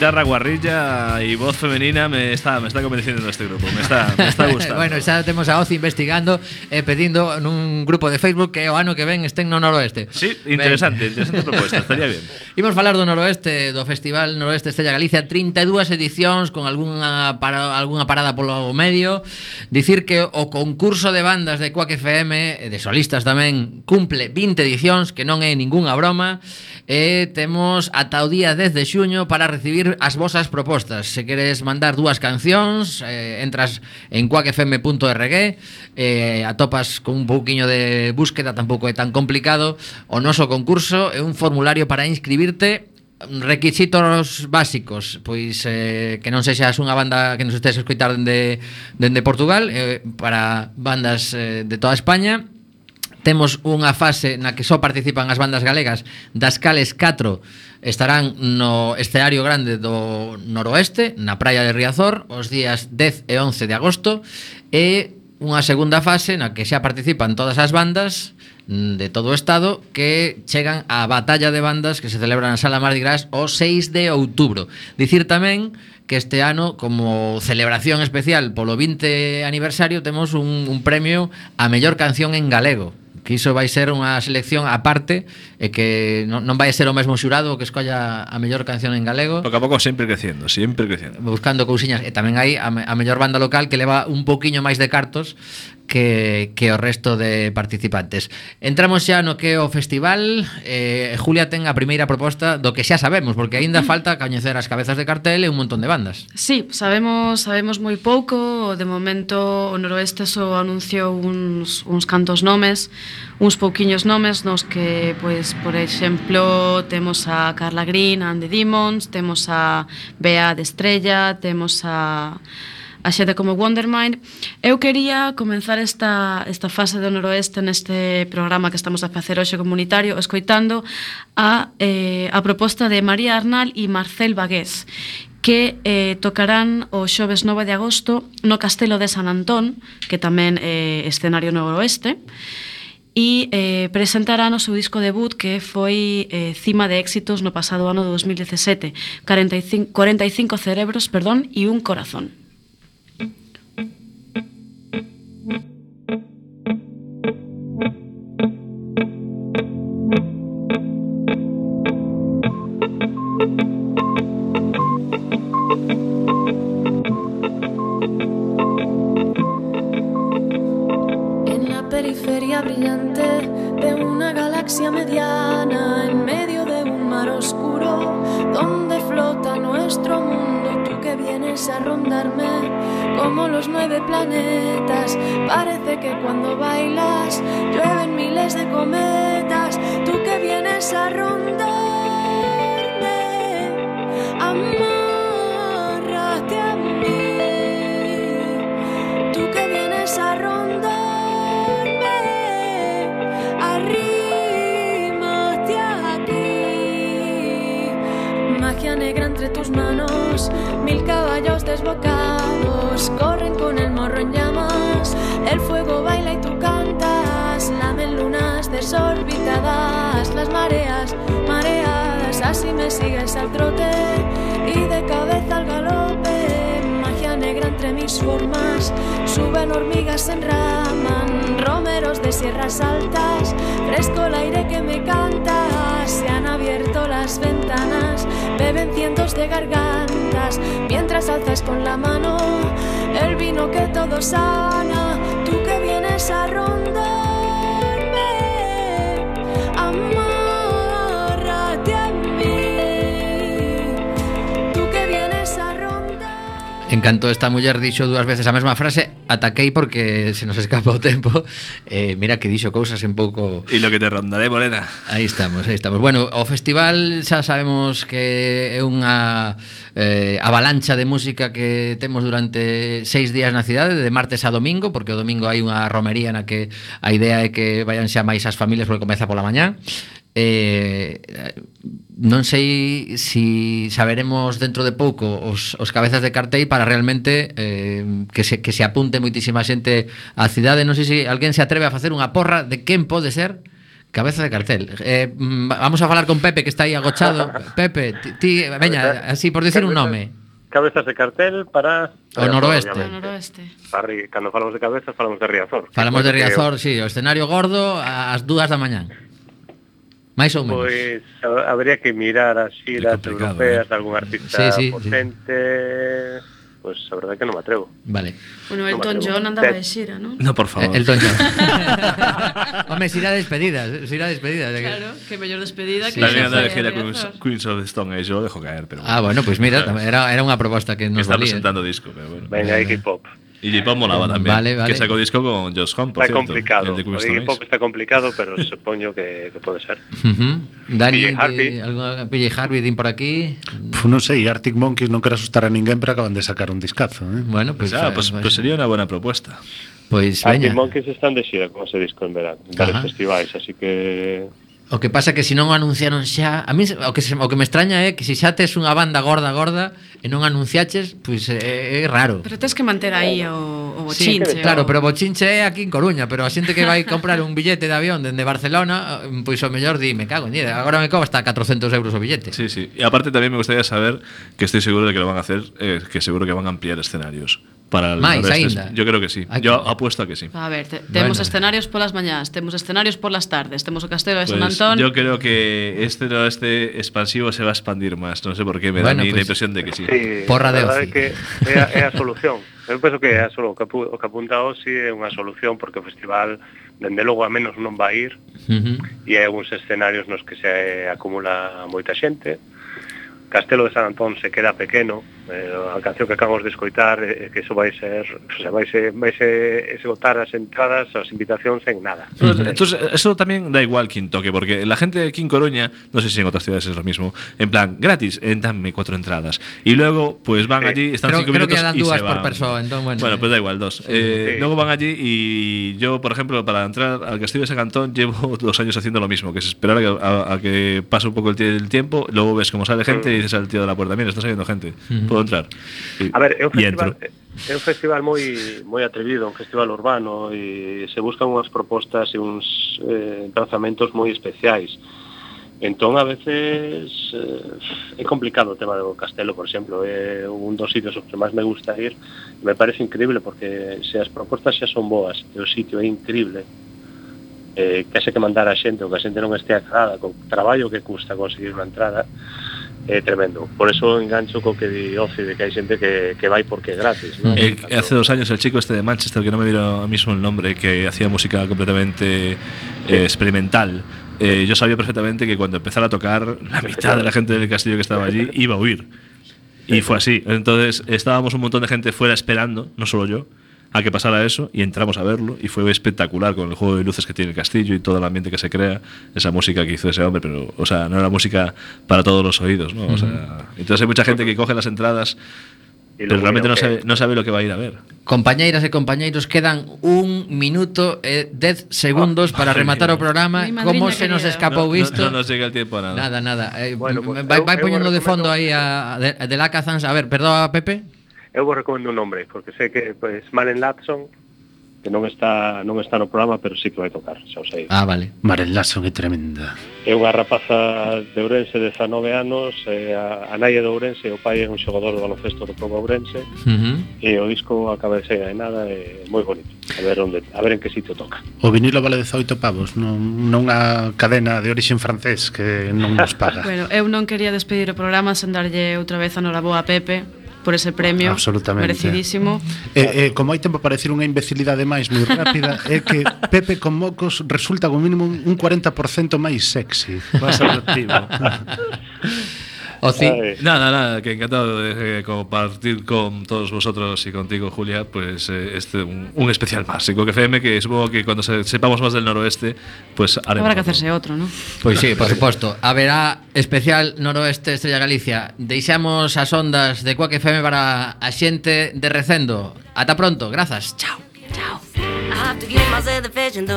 Guitarra, guarrilla y voz femenina me está, me está convenciendo este grupo. Me está, me está gustando. Bueno, xa temos a Ozi investigando e eh, pedindo nun grupo de Facebook que o ano que ven estén no noroeste. Sí, interesante, ben. interesante propuesta, estaría bien. Imos falar do noroeste, do Festival Noroeste Estrella Galicia, trinta e dúas edicións con algunha, para, algunha parada polo medio. Dicir que o concurso de bandas de Quack F M, de solistas tamén, cumple vinte edicións, que non é ningunha broma. E temos ata o día dez de xuño para recibir as vosas propostas. Se queres mandar dúas cancións, eh, entras en quack f m punto r g, eh, atopas con un pouquiño de búsqueda, tampouco é tan complicado. O noso concurso é un formulario para inscribirte. Requisitos básicos, pois eh, que non sexas unha banda que nos estés a escoitar dende, dende Portugal, eh, para bandas eh, de toda España. Temos unha fase na que só participan as bandas galegas, das cales catro estarán no escenario grande do noroeste, na praia de Riazor, os días dez e once de agosto, e unha segunda fase na que xa participan todas as bandas de todo o estado, que chegan á batalla de bandas que se celebra na Sala Mardi Gras o seis de outubro. Dicir tamén que este ano, como celebración especial polo vinte aniversario, temos un, un premio a mellor canción en galego, que iso vai ser unha selección aparte, e que non, non vai ser o mesmo xurado que escolla a mellor canción en galego. Pouco a pouco sempre creciendo, sempre creciendo. Buscando cousiñas, e tamén hai a, a mellor banda local, que leva un pouquiño máis de cartos que, que o resto de participantes. Entramos xa no que é o festival. eh, Julia ten a primeira proposta do que xa sabemos, porque aínda falta coñecer as cabezas de cartel e un montón de bandas. Sí, sabemos sabemos moi pouco. De momento o noroeste só anunciou uns, uns cantos nomes, uns pouquiños nomes, nos que, pois, por exemplo, temos a Carla Green and the Demons, temos a Bea de Estrella, temos a a xente como Wondermind. Eu quería comenzar esta, esta fase do Noroeste neste programa que estamos a facer hoxe comunitario escoitando a, eh, a proposta de María Arnal e Marcel Bagués, que eh, tocarán o xoves nove de agosto no Castelo de San Antón, que tamén é eh, escenario noroeste, e eh, presentarán o seu disco debut, que foi eh, cima de éxitos no pasado ano de dos mil dezasete, cuarenta y cinco, cuarenta y cinco cerebros, perdón, e un corazón. Brillante de una galaxia mediana en medio de un mar oscuro donde flota nuestro mundo. Tú que vienes a rondarme como los nueve planetas, parece que cuando bailas llueven miles de cometas. Tú que vienes a rondarme, amárrate a mí. Tú que vienes a rondarme, arrímate aquí. Magia negra entre tus manos, mil caballos desbocados corren con el morro en llamas. El fuego baila y tú cantas, lamen lunas desorbitadas, las mareas mareadas. Así me sigues al trote y de cabeza al galope. Magia negra entre mis formas, suben hormigas, se enraman, romeros de sierras altas, fresco el aire que me canta. Se han abierto las ventanas, beben cientos de gargantas, mientras alzas con la mano el vino que todo sana. Tú que vienes a rondarme, amárrate a mí. Tú que vienes a rondar. Encanto esta muller dixo dúas veces a mesma frase. Ataquei porque se nos escapa o tempo. eh, Mira que dixo cousas un pouco. E lo que te rondaré, Morena. Aí estamos, aí estamos. Bueno, o festival xa sabemos que é unha eh, avalancha de música que temos durante seis días na cidade, de martes a domingo, porque o domingo hai unha romería na que a idea é que vayan xa máis as familias porque comeza pola mañá. Eh, non sei si saberemos dentro de pouco os, os cabezas de cartel para realmente eh, que, se, que se apunte moitísima xente á cidade. Non sei se alguén se atreve a facer unha porra de quen pode ser cabeza de cartel. eh, Vamos a falar con Pepe, que está aí agochado. Pepe, ti, ti veña, así por decir un nome. Cabezas de cartel para o noroeste. O noroeste. Para, cando falamos de cabezas falamos de Riazor. Falamos de Riazor, si, sí, o escenario gordo ás dúas da mañán. máis ou menos. Pois habría que mirar as xiras europeas, eh? de algún artista sí, sí, potente. Sí. Pois a verdade é que non me atrevo. Vale. Bueno, Elton no John andaba de xira, ¿no? No, por favor. Elton John. Home, xira despedida, xira despedida. Claro, que mellor despedida que... Tamén andaba de xira Queens of the Stone Age, eu dejo caer, pero... Ah, bueno, pois pues mira, era, era unha proposta que nos está valía. Está presentando disco, pero bueno. Venga, Iggy Pop. Y Iggy Pop molaba también, vale, vale. que sacó disco con Josh Homme, por está cierto. Complicado. Iggy Pop está complicado, pero supoño que, que pode ser. Uh-huh. Dani, P J Harvey. P J Harvey, din por aquí. Pues non sei, Arctic Monkeys non quero asustar a ninguén, pero acaban de sacar un discazo, eh? Bueno, pues, pues, ah, pues, pues sería una buena propuesta. Pues Arctic Monkeys están de xira con ese disco en verano, en varios festivais, así que... O que pasa é que se non o anunciaron xa, a mí o que se, o que me extraña é que se xa tes unha banda gorda gorda e non anunciaches, pois é, é raro. Pero tes que manter aí o, o bochinche. Sí, claro, o... pero o bochinche é aquí en Coruña, pero a xente que vai comprar un billete de avión dende Barcelona, pois o mellor di, me cago en diez, agora me cobra hasta catrocentos euros o billete. Sí, sí. Y aparte también me gustaría saber, que estoy seguro de que lo van a hacer, eh, que seguro que van a ampliar escenarios. Para el máis aínda. Yo creo que sí. Aquí. Yo apuesto a que sí. A ver, te, temos bueno. escenarios polas mañás, temos escenarios polas tardes, temos o Castelo de San pues Antón. Yo creo que este este expansivo se va a expandir más. No sé por qué, me bueno, da pues, la impresión de que sí. Sí, porra de ocio. Que é a, é a solución. Eu penso que é a solución. O que apunta hoxe é unha solución porque o festival, dende logo a menos non vai ir, uh-huh. e é uns escenarios nos que se acumula moita xente. Castelo de San Antón se queda pequeno, Eh, a canción que acabamos de escoitar, eh, que eso vai ser, o sea, vai ser, vai ser esgotar as entradas, as invitacións en nada. Uh-huh. Entonces, eso también da igual quien toque, porque la gente aquí en Coruña, no sé si en otras ciudades es lo mismo, en plan, gratis, eh, dame cuatro entradas. Y luego, pues van sí. allí, están creo, cinco creo minutos que dan y dúas se por van. persona, entonces, bueno. Bueno, pues da igual, dos. Eh, sí. Luego van allí y yo, por ejemplo, para entrar al Castillo de San Antón llevo dos años haciendo lo mismo, que es esperar a que, a, a que pase un poco el, el tiempo, luego ves cómo sale gente y dices al tío de la puerta, mira, está saliendo gente, uh-huh. ¿puedo entrar? Y, a ver, é un festival, entro. é un festival moi moi atrevido, un festival urbano, e se buscan unhas propostas e uns eh, trazamentos moi especiais. Entón, a veces eh, é complicado o tema do castelo, por exemplo, é un dos sitios que máis me gusta ir. Me parece increíble porque se as propostas xa son boas e o sitio é increíble, eh, que haxe que mandar a xente ou que a xente non este aclarada co traballo que custa conseguir unha entrada, é tremendo. Por eso engancho co que di Oci, de que hai xente que, que vai porque é gratis, ¿no? El, hace dos años el chico este de Manchester, que no me miro ahora mismo el nombre, que hacía música completamente eh, experimental, eh, yo sabía perfectamente que cuando empezara a tocar, la mitad de la gente del castillo que estaba allí iba a huir. Y fue así. Entonces estábamos un montón de gente fuera esperando, no solo yo, a que pasara eso, y entramos a verlo y fue espectacular con el juego de luces que tiene el castillo y todo el ambiente que se crea, esa música que hizo ese hombre, pero o sea, no era música para todos los oídos, ¿no? O sea, entonces hay mucha gente que coge las entradas pero realmente no sabe, no sabe lo que va a ir a ver. Compañeiras e compañeiros, quedan un minuto e dez segundos para rematar o programa. Como se nos escapou isto? No, no, no nos llega el tiempo a nada. Nada, nada. Eh, bueno, pues, vai, vai eu, poñendo eu de fondo aí a de, de Lacazans. A ver, perdón, Pepe. Eu vos recomendo un nombre, porque sei que pues, Maren Latson, que non está non está no programa, pero sí que vai tocar, xa o sei. Ah, vale. Maren Latson é tremenda. É unha rapaza de Ourense de dezanove anos, e a, a nai é de Ourense, o pai é un xogador do baloncesto do Club Ourense, uh-huh. e o disco acaba de sair de nada, é moi bonito. A ver onde, a ver en que sitio toca. O vinilo vale dezoito pavos, non, non a cadena de orixen francés que non nos paga. Bueno, eu non quería despedir o programa sen darlle outra vez a noraboa a Pepe por ese premio merecidísimo. E, e como hai tempo para decir unha imbecilidade máis moi rápida, é que Pepe con mocos resulta como mínimo un cuarenta por cento máis sexy, máis atractivo. Oci. Nada, nada, que encantado de eh, compartir con todos vosotros y contigo, Julia, pues eh, este un, un especial más en Coque F M, que supongo que cuando se, sepamos más del noroeste, pues haremos. Habrá que hacerse otro, ¿no? Pois sí, por suposto. Haberá especial noroeste Estrella Galicia. Deixamos as ondas de Coque F M para a xente de Recendo. Ata pronto, grazas. Chao. Chao.